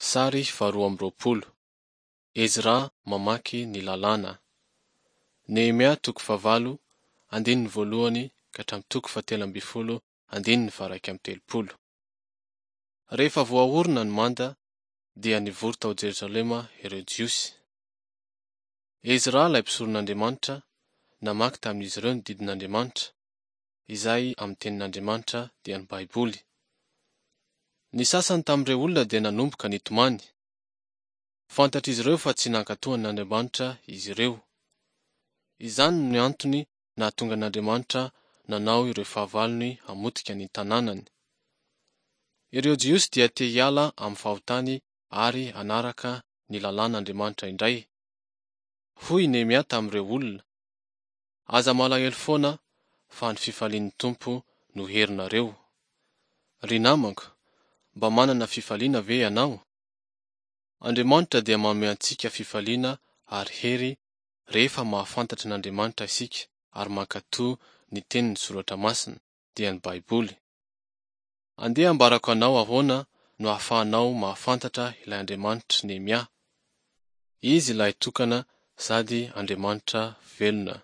Sary faharoa amby 20. Ezra mamaky ny Lalàna. Nehemia toko fahavalo, andininy voalohany ka hatramin'ny toko fahatelo ambin'ny folo andininy faha-31. Rehefa voaorina ny manda, dia nivory tao Jerosalema ireo Jiosy. Ezra ilay mpisoron'Andriamanitra, namaky tamin'izy ireo ny didin'Andriamanitra, izay amin'ny tenin'Andriamanitra dia ny Baiboly. Ny sasany tamin'ireo olona dia nanomboka nitomany. Fantatr'izy ireo fa tsy nankatò an'Andriamanitra izy ireo. Izany no antony nahatonga an'Andriamanitra nanao ireo fahavalony hamotika ny tanànany. Ireo Jiosy dia te hiala amin'ny fahotany ary hanaraka ny lalàn'Andriamanitra indray. Hoy i Nehemia tamin'ireo olona, Aza malahelo foana fa ny fifalian'ny Tompo no herinareo. Ry namako, mba manana fifaliana ve ianao? Andriamanitra dia manome antsika fifaliana ary hery rehefa mahafantatra an'Andriamanitra isika ary mankatò ny tenin'ny Soratra Masina, dia ny Baiboly. Andeha ambarako anao ahoana no ahafahanao mahafantatra ilay Andriamanitr'i Nehemia. Izy ilay tokana sady Andriamanitra velona.